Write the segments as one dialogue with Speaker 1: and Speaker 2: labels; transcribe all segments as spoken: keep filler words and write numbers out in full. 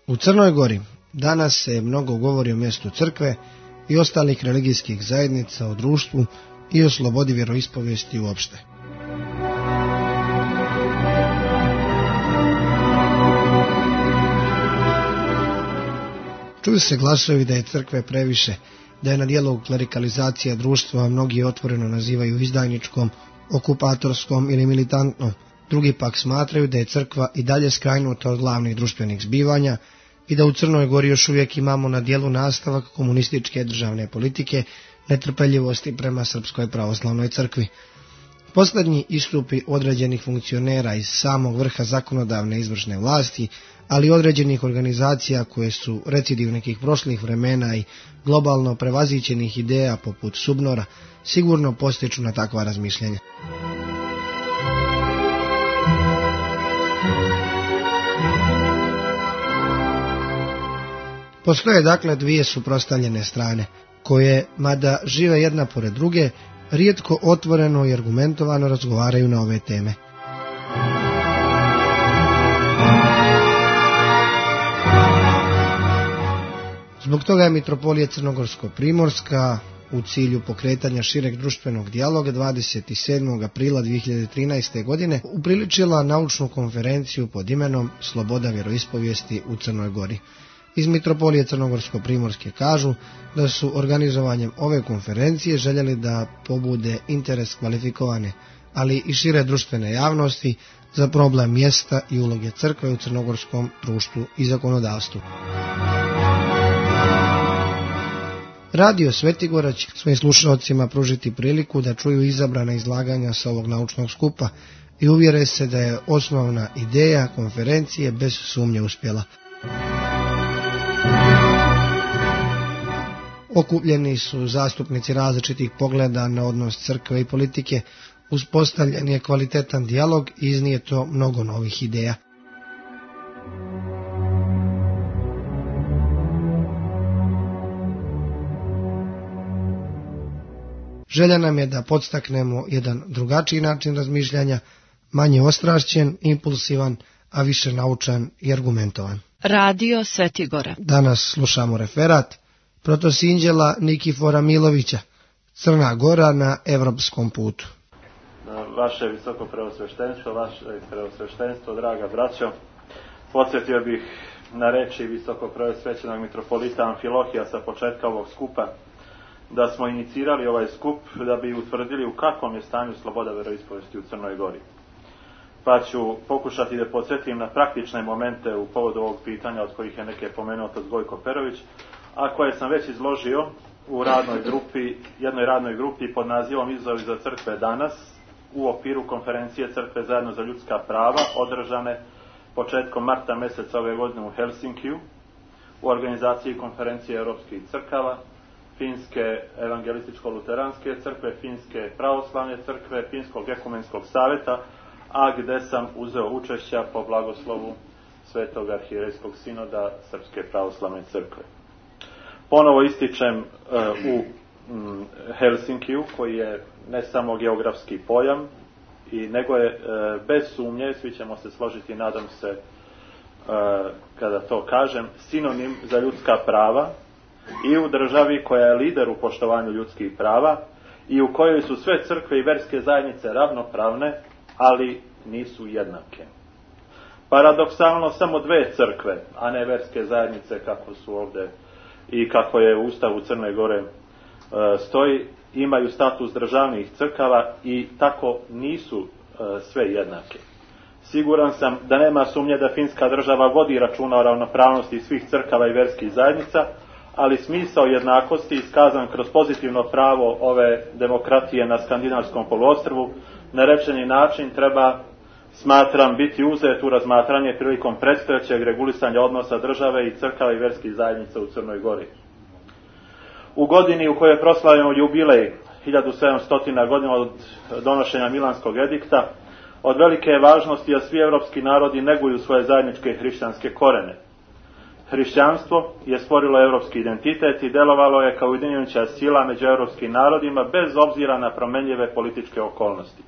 Speaker 1: U Crnoj Gori danas se mnogo govori o mjestu crkve i ostalih religijskih zajednica u društvu i o slobodi vjeroispovijesti uopšte. Čuju se glasovi da je crkve previše, da je na djelu klerikalizacija društva, a mnogi je otvoreno nazivaju izdajničkom, okupatorskom ili militantnom. Drugi pak smatraju da je crkva i dalje skrajnuta od glavnih društvenih zbivanja i da u Crnoj Gori još uvijek imamo na djelu nastavak komunističke državne politike, netrpeljivosti prema Srpskoj pravoslavnoj crkvi. Posljednji istupi određenih funkcionera iz samog vrha zakonodavne izvršne vlasti, ali i određenih organizacija koje su recidiv nekih prošlih vremena i globalno prevazićenih ideja poput Subnora, sigurno postiču na takva razmišljenja. Postoje dakle dvije suprotstavljene strane, koje, mada žive jedna pored druge, rijetko otvoreno i argumentovano razgovaraju na ove teme. Zbog toga je Mitropolija Crnogorsko-Primorska u cilju pokretanja šireg društvenog dijaloga dvadeset sedmog aprila dvije hiljade trinaeste. godine upriličila naučnu konferenciju pod imenom Sloboda vjeroispovijesti u Crnoj Gori. Iz Mitropolije Crnogorsko-Primorske kažu da su organizovanjem ove konferencije željeli da pobude interes kvalifikovane, ali i šire društvene javnosti za problem mjesta i uloge crkve u crnogorskom društvu i zakonodavstvu. Radio Svetigora će svojim slušalcima pružiti priliku da čuju izabrana izlaganja sa ovog naučnog skupa i uvjere se da je osnovna ideja konferencije bez sumnje uspjela. Okupljeni su zastupnici različitih pogleda na odnos crkve i politike, uspostavljen je kvalitetan dijalog i iznijeto mnogo novih ideja. Želja nam je da podstaknemo jedan drugačiji način razmišljanja, manje ostrašćen, impulsivan, a više naučan i argumentovan.
Speaker 2: Radio Svetigora.
Speaker 1: Danas slušamo referat protosinđela Nikifora Milovića, Crna Gora na evropskom putu.
Speaker 3: Vaše visoko preosveštenstvo, vaše preosveštenstvo, draga braćo, podsjetio bih na reči visoko preosvećenog mitropolita Amfilohija sa početka ovog skupa, da smo inicirali ovaj skup da bi utvrdili u kakvom je stanju sloboda veroispovijesti u Crnoj Gori. Pa ću pokušati da podsjetim na praktične momente u povodu ovog pitanja, od kojih je neke pomenuo od Gojko Perović, a koje sam već izložio u radnoj grupi, jednoj radnoj grupi pod nazivom Izazovi za crkve danas, u okviru konferencije Crkve zajedno za ljudska prava, održane početkom marta mjeseca ove godine u Helsinkiju, u organizaciji konferencije europskih crkava, Finske evangelističko-luteranske crkve, Finske pravoslavne crkve, Finskog ekumenskog savjeta, a gdje sam uzeo učešća po blagoslovu Svetog arhijerejskog sinoda Srpske pravoslavne crkve. Ponovo ističem e, u m, Helsinkiju, koji je ne samo geografski pojam, i nego je e, bez sumnje, svi ćemo se složiti, nadam se, e, kada to kažem, sinonim za ljudska prava i u državi koja je lider u poštovanju ljudskih prava i u kojoj su sve crkve i verske zajednice ravnopravne, ali nisu jednake. Paradoksalno, samo dve crkve, a ne verske zajednice kako su ovdje i kako je u Ustavu Crne Gore e, stoji, imaju status državnih crkava i tako nisu e, sve jednake. Siguran sam da nema sumnje da finska država vodi računa o ravnopravnosti svih crkava i verskih zajednica, ali smisao jednakosti iskazan kroz pozitivno pravo ove demokratije na skandinavskom poluostrvu na rečeni način treba, smatram, biti uzet u razmatranje prilikom predstojećeg regulisanja odnosa države i crkava i verskih zajednica u Crnoj Gori. U godini u kojoj proslavljamo jubilej hiljadu sedamsto godina od donošenja Milanskog edikta, od velike je važnosti da svi evropski narodi neguju svoje zajedničke hrišćanske korene. Hrišćanstvo je stvorilo europski identitet i delovalo je kao ujedinjujuća sila među europskim narodima bez obzira na promenljive političke okolnosti.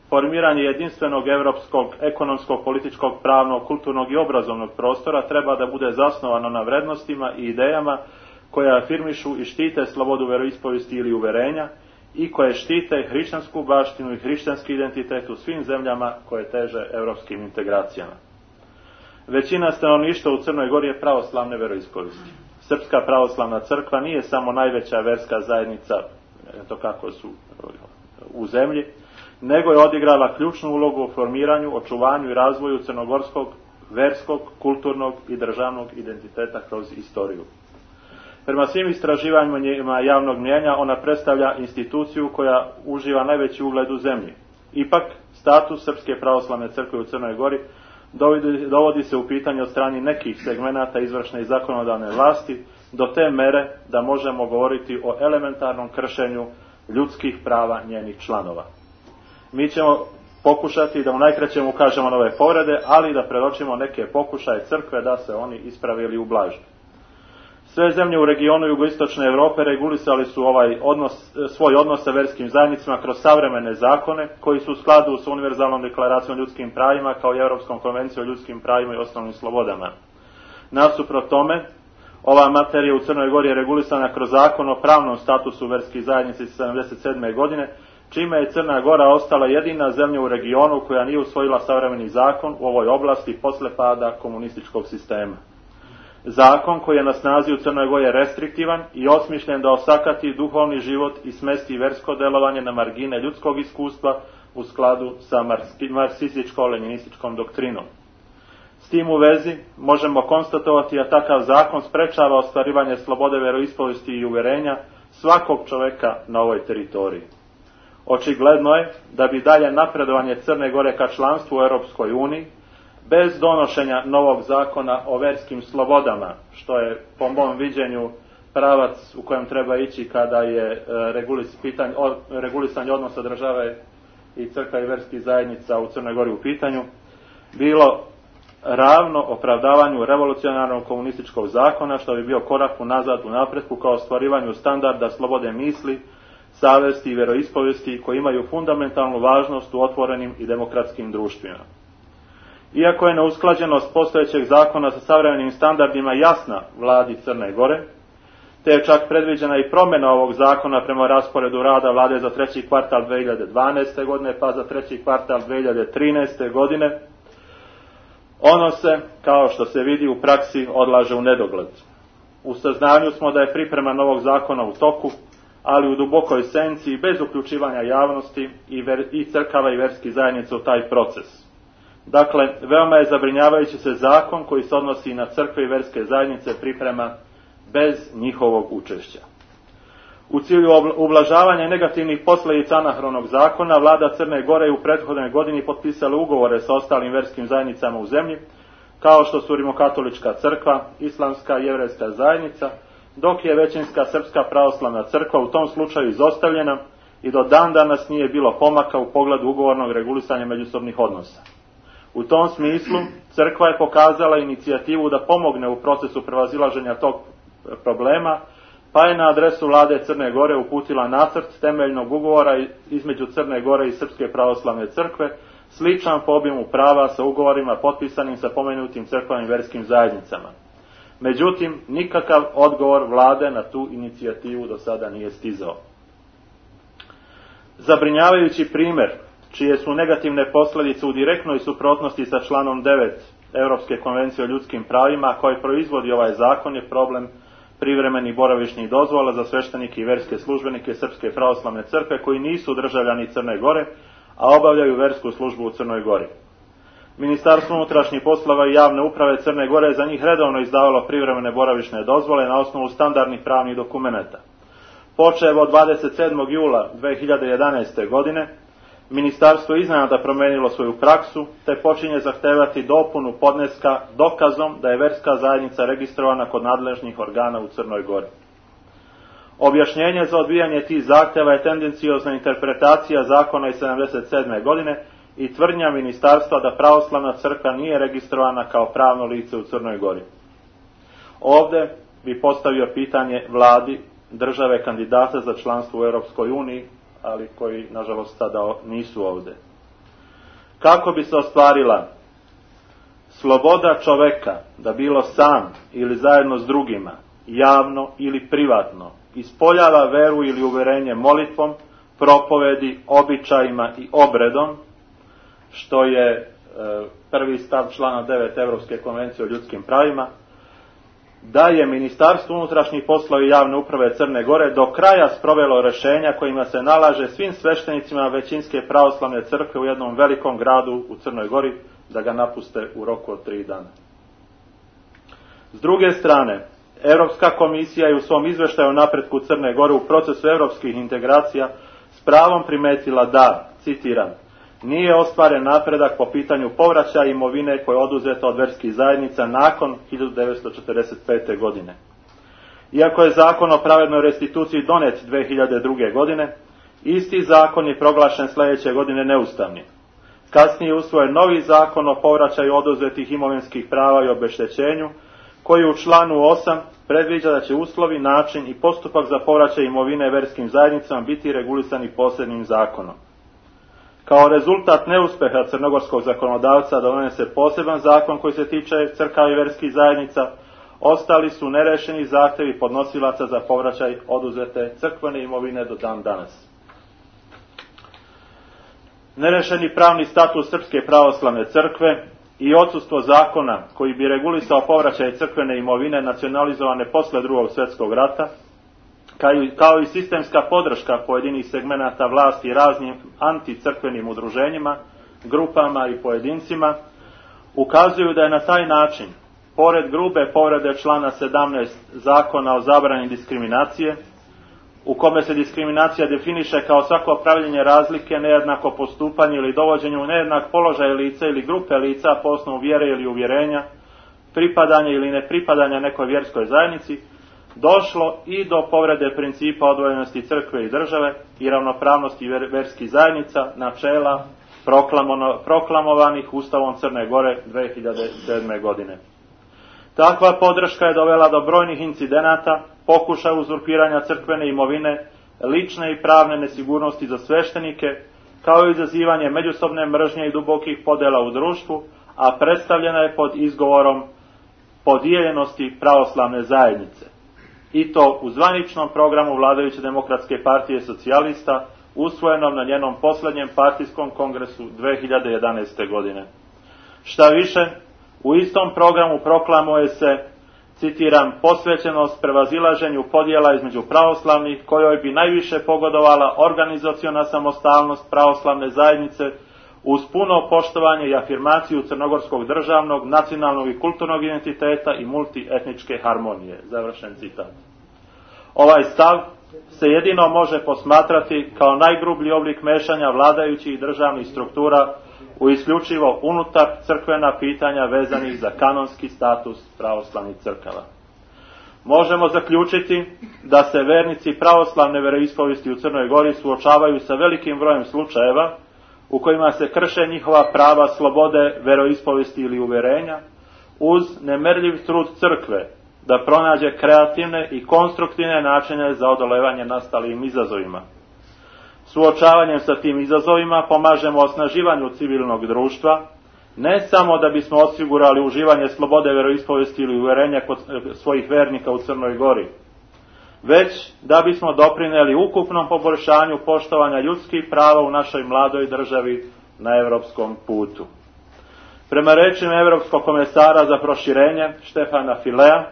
Speaker 3: Formiranje jedinstvenog europskog, ekonomskog, političkog, pravnog, kulturnog i obrazovnog prostora treba da bude zasnovano na vrednostima i idejama koje afirmišu i štite slobodu veroispovesti ili uverenja i koje štite hrišćansku baštinu i hrišćanski identitet u svim zemljama koje teže europskim integracijama. Većina stanovništva u Crnoj Gori je pravoslavne veroispovesti. Srpska pravoslavna crkva nije samo najveća verska zajednica, to kako su u zemlji, nego je odigrala ključnu ulogu u formiranju, očuvanju i razvoju crnogorskog, verskog, kulturnog i državnog identiteta kroz istoriju. Prema svim istraživanjima javnog mnijenja ona predstavlja instituciju koja uživa najveći ugled u zemlji. Ipak, status Srpske pravoslavne crkve u Crnoj Gori dovodi, dovodi se u pitanje od strane nekih segmenata izvršne i zakonodavne vlasti do te mere da možemo govoriti o elementarnom kršenju ljudskih prava njenih članova. Mi ćemo pokušati da u najkraćem ukažemo na ove povrede, ali da predočimo neke pokušaje crkve da se oni isprave ili ublaže. Sve zemlje u regionu jugoistočne Evrope regulisali su ovaj odnos, svoj odnos sa verskim zajednicama kroz savremene zakone koji su u skladu sa Univerzalnom deklaracijom o ljudskim pravima kao i Europskom konvencijom o ljudskim pravima i osnovnim slobodama. Nasuprot tome, ova materija u Crnoj Gori je regulisana kroz zakon o pravnom statusu verskih zajednica iz sedamdeset sedme. godine, čime je Crna Gora ostala jedina zemlja u regionu koja nije usvojila savremeni zakon u ovoj oblasti posle pada komunističkog sistema. Zakon koji je na snazi u Crnoj Gori je restriktivan i osmišljen da osakati duhovni život i smesti versko delovanje na margine ljudskog iskustva u skladu sa marksističko-leninističkom doktrinom. S tim u vezi možemo konstatovati da takav zakon sprečava ostvarivanje slobode veroispovesti i uverenja svakog čoveka na ovoj teritoriji. Očigledno je da bi dalje napredovanje Crne Gore ka članstvu u Europskoj uniji, bez donošenja novog zakona o verskim slobodama, što je po mom viđenju pravac u kojem treba ići kada je regulis, pitanje, regulisanje odnosa države i crkva i verskih zajednica u Crnoj Gori u pitanju, bilo ravno opravdavanju revolucionarnog komunističkog zakona, što bi bio korak unazad u napretku kao ostvarivanju standarda slobode misli, savesti i veroispovesti koji imaju fundamentalnu važnost u otvorenim i demokratskim društvima. Iako je neusklađenost postojećeg zakona sa savremenim standardima jasna vladi Crne Gore, te je čak predviđena i promjena ovog zakona prema rasporedu rada vlade za treći kvartal dve hiljade dvanaeste. godine pa za treći kvartal dve hiljade trinaeste. godine, ono se, kao što se vidi u praksi, odlaže u nedogled. U saznanju smo da je priprema novog zakona u toku, ali u dubokoj senci i bez uključivanja javnosti i, ver, i crkava i verskih zajednica u taj proces. Dakle, veoma je zabrinjavajući se zakon koji se odnosi na crkve i verske zajednice priprema bez njihovog učešća. U cilju ublažavanja negativnih posljedica anahronog zakona, vlada Crne Gore je u prethodnoj godini potpisala ugovore sa ostalim verskim zajednicama u zemlji, kao što su Rimokatolička crkva, Islamska i Jevrejska zajednica, dok je većinska Srpska pravoslavna crkva u tom slučaju izostavljena i do dan danas nije bilo pomaka u pogledu ugovornog regulisanja međusobnih odnosa. U tom smislu, crkva je pokazala inicijativu da pomogne u procesu prevazilaženja tog problema, pa je na adresu vlade Crne Gore uputila nacrt temeljnog ugovora između Crne Gore i Srpske pravoslavne crkve, sličan po obimu prava sa ugovorima potpisanim sa pomenutim crkvenim verskim zajednicama. Međutim, nikakav odgovor vlade na tu inicijativu do sada nije stizao. Zabrinjavajući primjer, čije su negativne posljedice u direktnoj suprotnosti sa članom devet Europske konvencije o ljudskim pravima, koji proizvodi ovaj zakon, je problem privremenih boravišnih dozvola za sveštenike i verske službenike Srpske pravoslavne crkve koji nisu državljani Crne Gore, a obavljaju versku službu u Crnoj Gori. Ministarstvo unutrašnjih poslova i javne uprave Crne Gore je za njih redovno izdavalo privremene boravišne dozvole na osnovu standardnih pravnih dokumenata. Počev od dvadeset sedmog jula dve hiljade jedanaeste. godine, ministarstvo je iznenada promenilo svoju praksu, te počinje zahtevati dopunu podneska dokazom da je verska zajednica registrovana kod nadležnih organa u Crnoj Gori. Objašnjenje za odbijanje tih zahteva je tendenciozna interpretacija zakona iz sedamdeset sedme. godine i tvrdnja ministarstva da pravoslavna crkva nije registrovana kao pravno lice u Crnoj Gori. Ovdje bi postavio pitanje vladi države kandidata za članstvo u Europskoj uniji, ali koji nažalost sada nisu ovdje. Kako bi se ostvarila sloboda čoveka da bilo sam ili zajedno s drugima, javno ili privatno, ispoljava veru ili uvjerenje molitvom, propovedi, običajima i obredom, što je e, prvi stav člana devet Europske konvencije o ljudskim pravima, da je Ministarstvo unutrašnjih poslova i javne uprave Crne Gore do kraja sprovelo rješenja kojima se nalaže svim sveštenicima većinske pravoslavne crkve u jednom velikom gradu u Crnoj Gori da ga napuste u roku od tri dana. S druge strane, Europska komisija je u svom izvještaju o napretku Crne Gore u procesu europskih integracija s pravom primetila da, citiram, nije ostvaren napredak po pitanju povraćaja imovine koja je oduzeta od verskih zajednica nakon hiljadu devetsto četrdeset pete. godine. Iako je zakon o pravednoj restituciji donet dve hiljade druge. godine, isti zakon je proglašen sljedeće godine neustavnim. Kasnije je usvojen novi zakon o povraćaju oduzetih imovinskih prava i obeštećenju, koji u članu osam predviđa da će uslovi, način i postupak za povraćaj imovine verskim zajednicama biti regulisani posebnim zakonom. Kao rezultat neuspeha crnogorskog zakonodavca da donese poseban zakon koji se tiče crkava i verskih zajednica, ostali su nerešeni zahtjevi podnosilaca za povraćaj oduzete crkvene imovine do dan danas. Nerešeni pravni status Srpske pravoslavne crkve i odsustvo zakona koji bi regulisao povraćaj crkvene imovine nacionalizovane posle drugog svjetskog rata, kao i sistemska podrška pojedinih segmenata vlasti raznim anticrkvenim udruženjima, grupama i pojedincima, ukazuju da je na taj način, pored grube povrede člana sedamnaest Zakona o zabrani diskriminacije, u kome se diskriminacija definiše kao svako pravljenje razlike, nejednako postupanje ili dovođenje u nejednak položaj lica ili grupe lica po osnovu vjere ili uvjerenja, pripadanja ili nepripadanja nekoj vjerskoj zajednici, došlo i do povrede principa odvojenosti crkve i države i ravnopravnosti verskih zajednica, načela proklamovanih Ustavom Crne Gore dve hiljade sedme. godine. Takva podrška je dovela do brojnih incidenata, pokušaja uzurpiranja crkvene imovine, lične i pravne nesigurnosti za sveštenike, kao i izazivanje međusobne mržnje i dubokih podjela u društvu, a predstavljena je pod izgovorom podijeljenosti pravoslavne zajednice. I to u zvaničnom programu vladajuće demokratske partije socijalista, usvojenom na njenom posljednjem partijskom kongresu dve hiljade jedanaeste. godine. Šta više, u istom programu proklamuje se, citiram, posvećenost prevazilaženju podjela između pravoslavnih, kojoj bi najviše pogodovala organizaciona samostalnost pravoslavne zajednice uz puno poštovanje i afirmaciju crnogorskog državnog, nacionalnog i kulturnog identiteta i multietničke harmonije. Završen citat. Ovaj stav se jedino može posmatrati kao najgrublji oblik mešanja vladajućih i državnih struktura u isključivo unutar crkvena pitanja vezanih za kanonski status pravoslavnih crkava. Možemo zaključiti da se vernici pravoslavne veroispovesti u Crnoj Gori suočavaju sa velikim brojem slučajeva u kojima se krše njihova prava slobode veroispovesti ili uvjerenja, uz nemerljiv trud crkve da pronađe kreativne i konstruktivne načine za odolevanje nastalim izazovima. Suočavanjem sa tim izazovima pomažemo osnaživanju civilnog društva, ne samo da bismo osigurali uživanje slobode veroispovesti ili uvjerenja kod svojih vernika u Crnoj Gori, već da bismo doprinijeli ukupnom poboljšanju poštovanja ljudskih prava u našoj mladoj državi na europskom putu. Prema rečima Europskog komesara za proširenje Štefana Filea,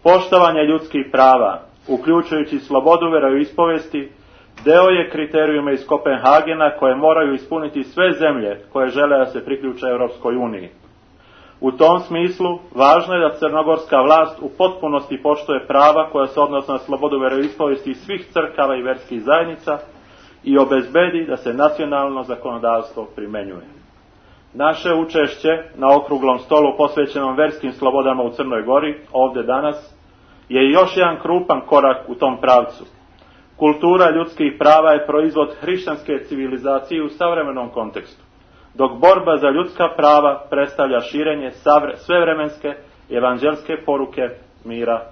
Speaker 3: poštovanje ljudskih prava, uključujući slobodu veroispovesti, deo je kriterijuma iz Kopenhagena koje moraju ispuniti sve zemlje koje žele da se priključe Europskoj uniji. U tom smislu, važno je da crnogorska vlast u potpunosti poštuje prava koja se odnose na slobodu veroispovesti svih crkava i verskih zajednica i obezbedi da se nacionalno zakonodavstvo primenjuje. Naše učešće na okruglom stolu posvećenom verskim slobodama u Crnoj Gori, ovdje danas, je još jedan krupan korak u tom pravcu. Kultura ljudskih prava je proizvod hrišćanske civilizacije u savremenom kontekstu, dok borba za ljudska prava predstavlja širenje svevremenske evanđelske poruke mira